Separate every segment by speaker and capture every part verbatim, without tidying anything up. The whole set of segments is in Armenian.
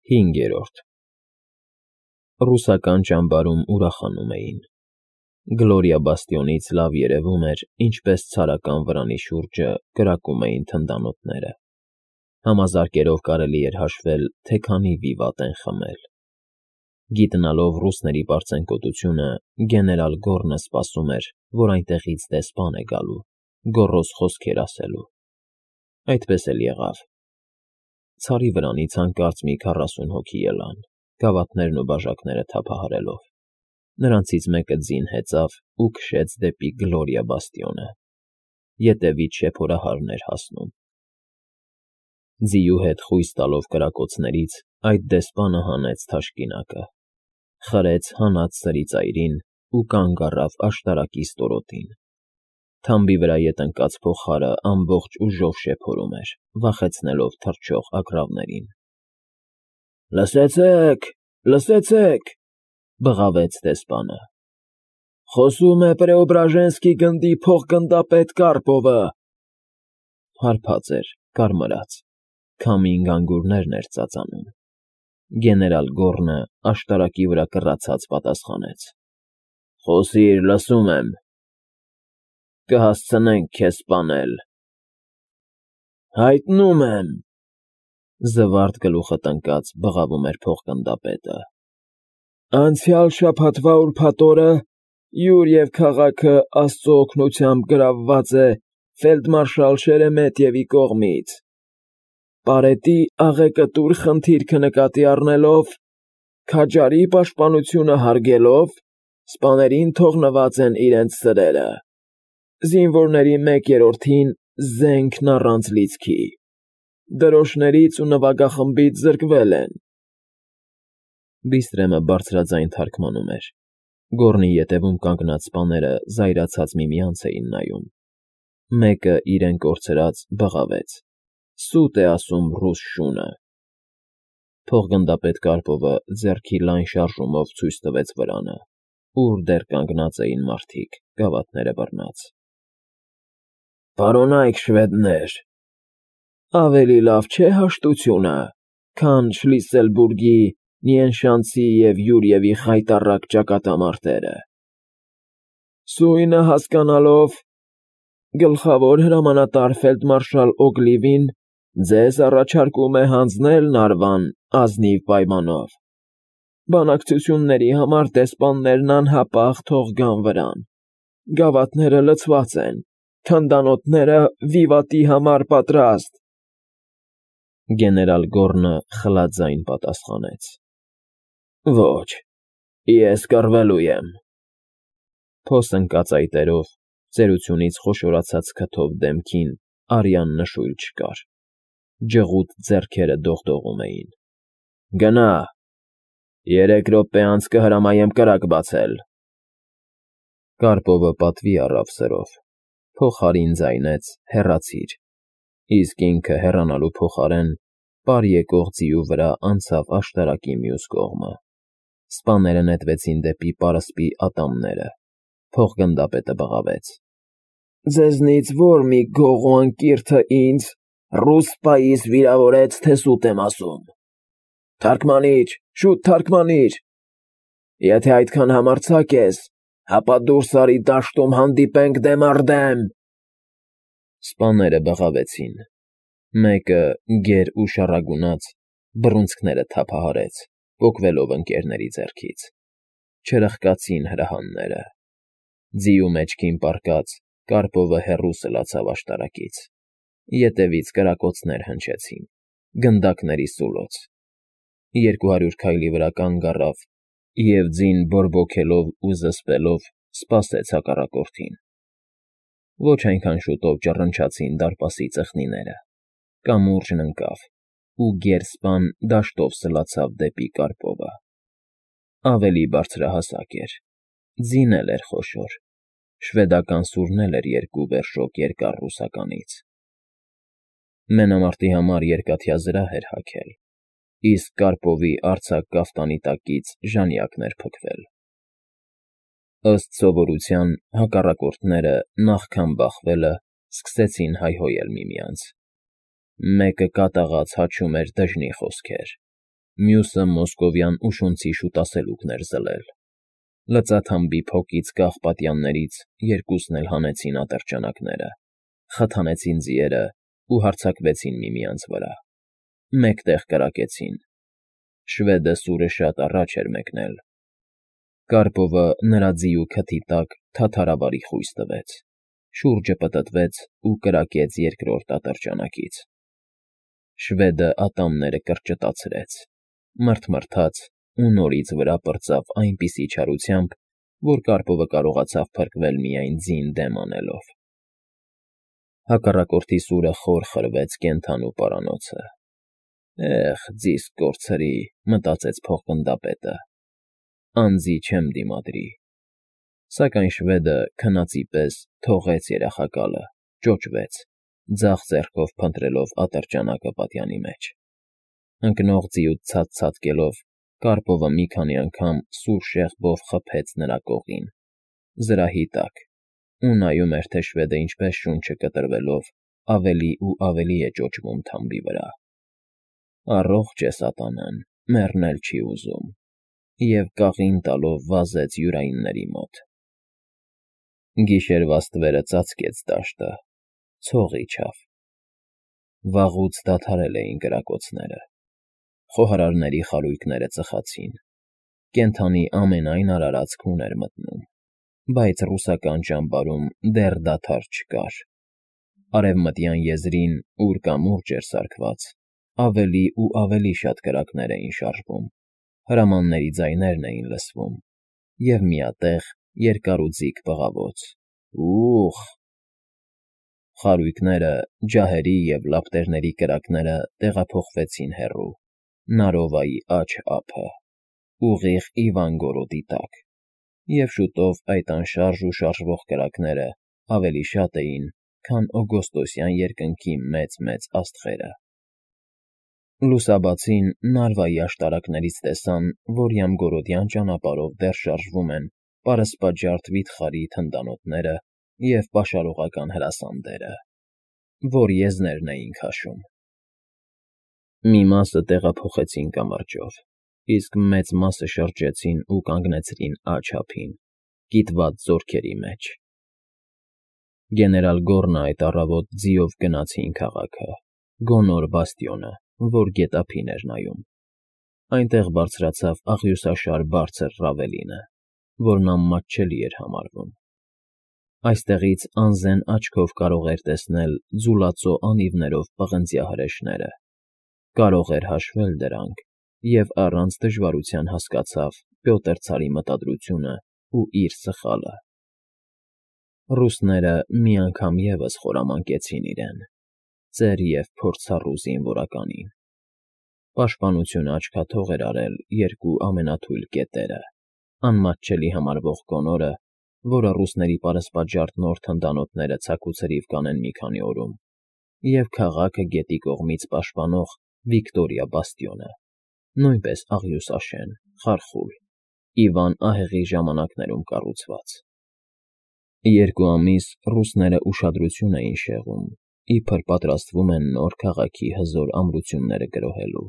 Speaker 1: Հինգերորդ Ռուսական ճամբարում ուրախանում էին։ Գլորիա բաստիոնից լավ երևում էր, ինչպես ցարական վրանի շուրջը կրակում էին թնդանոթները։ Համազարկերով կարելի էր հաշվել, թե քանի վիվատ են խմել։ Գիտնալով ռուսների պարծենկոտությունը, գեներալ Գոռնը սպասում էր, որ այնտեղից դեսպան է գալու, գոռոզ խոսքեր ասելու։ Այդպես էլ եղավ։ Ցարի վրանից հանկարծ մի քառասուն հոգի ելան, գավաթներն ու բաժակները թափահարելով։ Նրանցից մեկը ձին հեծավ ու քշեց դեպի Գլորիա բաստիոնը։ Ետևից շեփորահարն էր հասնում։ Ձիու հետ խույս տալով կրակոցներից, այդ դեսպանը հանեց թաշկինակը, խրեց հանած սրի ծայրին ու կանգ առավ աշտարակի ստորոտին։ Թամբի վրա ետ ընկած փողահարը ամբողջ ուժով շեփորում էր, վախեցնելով թռչող ագռավներին։ ֊ Լսեցե՛ք, լսեցե՛ք,֊ բղավեց դեսպանը։ Խոսում է Պրեոբրաժենսկի գնդի փոխգնդապետ Կարպովը։ Հարբած էր, կարմրած, քամին գանգուրներն էր ծածանում։ Գեներալ Գոռնը աշտարակի վրա կռացած պատասխանեց. ֊ Խոսիր, լսում եմ։ Կհասցնենք քեզ սպանել։ ֊ Հայտնում եմ,֊ զվարթ գլուխը տնկած բղավում էր փոխգնդապետը։ Անցյալ շաբաթվա ուրբաթ օրը յուր և քաղաքը աստծո օգնությամբ գրավված է ֆելդմարշալ Շերեմետյևի կողմից։ Պարետի աղեկտուր խնդիրքը նկատի առնելով, քաջարի պաշտպանությունը հարգելով, սպաներին թողնված են իրենց սրերը։ Զինվորների մեկ երրորդին զենքն առանց լիցքի։ Դրոշներից ու նվագախմբից զրկվել են։ Բիստրեմը բարձրաձայն թարգմանում էր։ Գոռնի ետևում կանգնած սպաները զայրացած միմյանց էին նայում։ Մեկը իրեն կորցրած բղավեց. Սուտ է ասում ռուս շունը։ Փոխգնդապետ Կարպովը ձեռքի լայն շարժումով ցույց տվեց վրանը, ուր դեռ կանգնած էին մարդիկ, գավաթները բռնած։ Պարոնայք շվեդներ, ավելի լավ չէ հաշտությունը, քան Շլիսելբուրգի, Նիենշանցի և Յուրիևի խայտառակ ճակատամարտերը։ Սույնը հասկանալով, գլխավոր հրամանատար ֆելդմարշալ Օգլիվին ձեզ առաջարկում է հանձնել Նարվան ազնիվ պայմանով։ Բանակցությունների համար դեսպաններն անհապաղ թող գան վրան։ Գավաթները լցված են, թնդանոթները վիվատի համար պատրաստ։ Գեներալ Գոռնը խլաձայն պատասխանեց. Ոչ, ես կռվելու եմ։ Փոս ընկած այտերով, ծերությունից խոշորացած քթով դեմքին արյան նշույլ չկար։ Ջղուտ ձեռքերը դողդողում էին։ Գնա, երեք րոպե անց կհրամայեմ կրակ բացել։ Կարպովը պատվի առավ սրով, փողահարին ձայնեց հեռացիր, իսկ ինքը հեռանալու փոխարեն պար եկող ձիու վրա անցավ աշտարակի մյուս կողմը։ Սպաները նետվեցին դեպի պարսպի ատամները։ Փոխգնդապետը բղավեց. Ձեզնից ո՞ր մի գող ու անկիրթը ինձ ռուս սպայից վիրավորեց, թե սուտ եմ ասում։ Թարգմանիչ, շուտ թարգմանիչ։ Եթե այդքան համարձակ ես, հապա դուրս արի դաշտում հանդիպենք դեմ առ դեմ։ Սպաները բղավեցին։ Մեկը, գեր ու շառագունած, բռունցքները թափահարեց, պոկվելով ընկերների ձեռքից։ Չրխկացին հրահանները։ Ձիու մեջքին պառկած, Կարպովը հեռու սլացավ աշտարակից։ Ետևից կրակոցներ հնչեցին, գնդակների սուլոց։ Երկու հարյուր քայլի վրա կանգ առավ և ձին բորբոքելով ու զսպելով սպասեց հակառակորդին։ Ոչ այնքան շուտով ճռնչացին դարպասի ծխնիները։ Կամուրջն ընկավ, ու գերսպան դաշտով սլացավ դեպի Կարպովը։ Ավելի բարձրահասակ էր, ձին էլ էր խոշոր, շվեդական սուրն էլ էր երկու վերժոք երկար ռուսականից։ Մենամարտի համար երկաթյա զրահ էր հագել, իսկ Կարպովի արձակ կաֆտանի տակից ժանյակն էր փքվել։ Ըստ սովորության, հակառակորդները նախքան բախվելը սկսեցին հայհոյել միմյանց։ Մեկը կատաղած հաչում էր դժնի խոսքեր, մյուսը մոսկովյան ուշունցի շուտասելուկն էր զլել։ Լծաթամբի փոքից կախ պատյաններից երկուսն էլ հանեցին ատրճանակները, խթանեցին ձիերը ու հարձակվեցին միմյանց վրա։ Մեկտեղ կրակեցին։ Շվեդը սուրը շատ առաջ էր մեկնել։ Կարպովը նրա ձիու քթի տակ թաթարավարի խույս տվեց, շուրջը պտտվեց ու կրակեց երկրորդ ատրճանակից։ Շվեդը ատամները կրճտացրեց, մռթմռթաց ու նորից վրա պրծավ այնպիսի չարությամբ, որ Կարպովը կարողացավ փրկվել միայն ձին դեմ անելով։ Հակառակորդի սուրը խոր խրվեց կենդանու պարանոցը։ Էխ, ձիս կորցրի, մտածեց փողգնդապետը։ Անձի չեմ դիմադրի։ Սակայն շվեդը քնածի պես թողեց երախակալը, ճոճվեց, ձախ ձեռքով փնտրելով ատրճանակը պատյանի մեջ։ Ընկնող ձիուց ցած-ցատկելով Կարպովը մի քանի անգամ սուր շեղբով խփեց նրա կողին, զրահի տակ, ու նայում էր, թե շվեդը ինչպես շունչը կտրվելով ավելի ու ավելի է ճոճվում թամբի վրա։ Առողջ է սատանան, մեռնել չի ուզում, և կաղին տալով վազեց յուրայինների մոտ։ Գիշերվա ստվերը ծածկեց դաշտը, ցող իջավ։ Վաղուց դադարել էին կրակոցները։ Խոհարարների խարույկները ծխացին։ Կենդանի ամենայն արարած քուն էր մտնում, բայց ռուսական ճամբարում դեռ դադար չկար։ Արևմտյան եզրին, ուր կամուրջ էր սարքված, ավելի ու ավելի շատ կրակներ էին շարժվում, հրամանների ձայներն էին լսվում, և միատեղ երկարուձիգ բղավոց. «Ուխ»։ Խարույկները, ջահերի և լապտերների կրակները տեղափոխվեցին հեռու, Նարովայի աջ ափը, ուղիղ Իվանգորոդի տակ, և շուտով այդ անշարժ ու շարժվող կրակները ավելի շատ էին, քան օգոստոսյան երկնքի մեծ֊մեծ աստղերը։ Լուսաբացին Նարվայի աշտարակներից տեսան, որ յամգորոդյան ճանապարհով դեռ շարժվում են պարսպաջարդ վիթխարի թնդանոթները և պաշարողական հրասանդերը, որ եզներն էին քաշում։ Մի մասը տեղափոխեցին կամրջով, իսկ մեծ մասը շրջեցին ու կանգնեցրին աջ ափին, կիտված զորքերի մեջ։ Գեներալ Գոռնը այդ առավոտ ձիով գնացին քաղաքը, գոնոր բաստիոնը, որ գետափին էր նայում։ Այնտեղ բարձրացավ աղյուսաշար բարձր Ռավելինը, որն անմատչելի էր համարվում։ Այստեղից անզեն աչքով կարող էր տեսնել ձուլածո անիվներով պղնձյա հրեշները, կարող էր հաշվել դրանք և առանց դժվարության հասկացավ Պյոտր ցարի մտադրությունն ու իր սխալը։ Ռուսները մի անգամ ևս խորամանկեցին իրեն, ծեր և փորձառու զինվորականին։ Պաշտպանությունը աչքաթող էր արել երկու ամենաթույլ կետերը՝ անմատչելի համարվող Գոնորը, որը ռուսների պարսպաջարդ նոր թնդանոթները ցաքուցրիվ կանեն մի քանի օրում, և քաղաքը գետի կողմից պաշտպանող Վիկտորիա բաստիոնը, նույնպես աղյուսաշեն, խարխուլ, Իվան ահեղի ժամանակներում կառուցված։ Երկու ամիս ռուսները ուշադրություն էին շեղում, իբր պատրաստվում են նոր քաղաքի հզոր ամրությունները գրոհելու,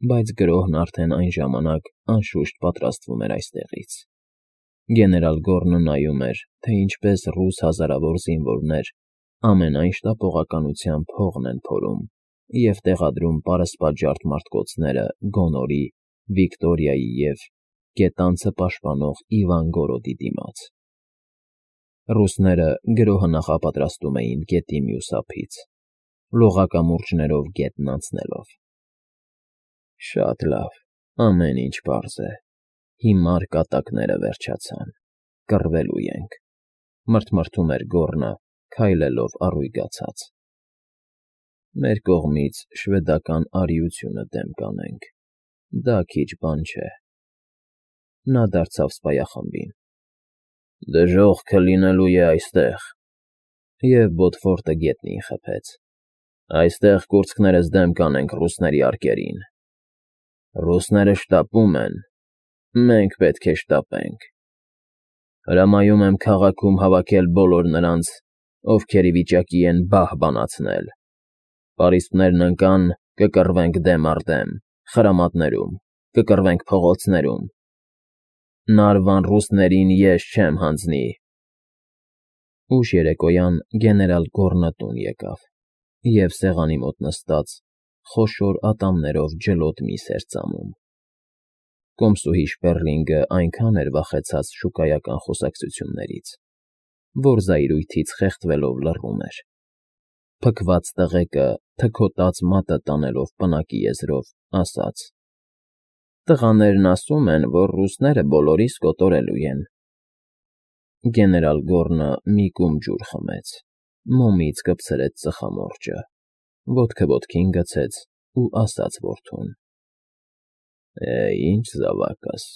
Speaker 1: բայց գրոհն արդեն այն ժամանակ անշուշտ պատրաստվում էր այստեղից։ Գեներալ Գոռնը նայում էր, թե ինչպես ռուս հազարավոր զինվորներ ամենայն շտապողականությամբ հողն են փորում և տեղադրում պարսպաջարդ մարտկոցները Գոնորի, Վիկտորիայի և գետանցը պաշտպանող Իվանգորոդի դիմաց։ Ռուսները գրոհը նախապատրաստում էին գետի մյուս ափից, լողակամուրջներով գետն անցնելով։ Շատ լավ, ամեն ինչ պարզ է, հիմար կատակները վերջացան, կռվելու ենք, մռթմռթում էր Գոռնը, քայլելով առույգացած։ Մեր կողմից շվեդական արիությունը դեմ կանենք, դա քիչ բան չէ։ Նա դարձավ սպայախմբին. Դժոխքը լինելու է այստեղ, և բոթֆորտը գետնին խփեց։ Այստեղ կուրծքներս դեմ կանենք ռուսների արկերին։ Ռուսները շտապում են, մենք պետք է շտապենք։ Հրամայում եմ քաղաքում հավաքել բոլոր նրանց, ովքեր ի վիճակի են բահ բանացնել։ Պարիսպներն ընկան, կկռվենք դեմ առ դեմ, խրամատներում, կկռվենք փողոցներում։ Նարվան ռուսներին ես չեմ հանձնի։ Ուշ երեկոյան գեներալ Գոռնը տուն եկավ և սեղանի մոտ նստած խոշոր ատամներով ջլոտ միս էր ծամում։ Կոմսուհի Շպեռլինգը այնքան էր վախեցած շուկայական խոսակցություններից, որ զայրույթից խեղդվելով լռում էր։ Փքված տղեկը թքոտած մատը տանելով պնակի եզրով, ասաց. «Տղաներն ասում են, որ ռուսները բոլորիս կոտորելու են»։ Գեներալ Գոռնը մի կում ջուր խմեց, մոմից կպցրեց ծխամորճը, ոտքը ոտքին գցեց ու ասաց որդուն. «Է, ինչ զավակս,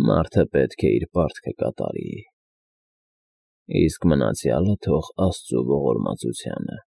Speaker 1: մարդը պետք է իր պարտքը կատարի, իսկ մնացյալը թող աստծու ողորմածությանը»։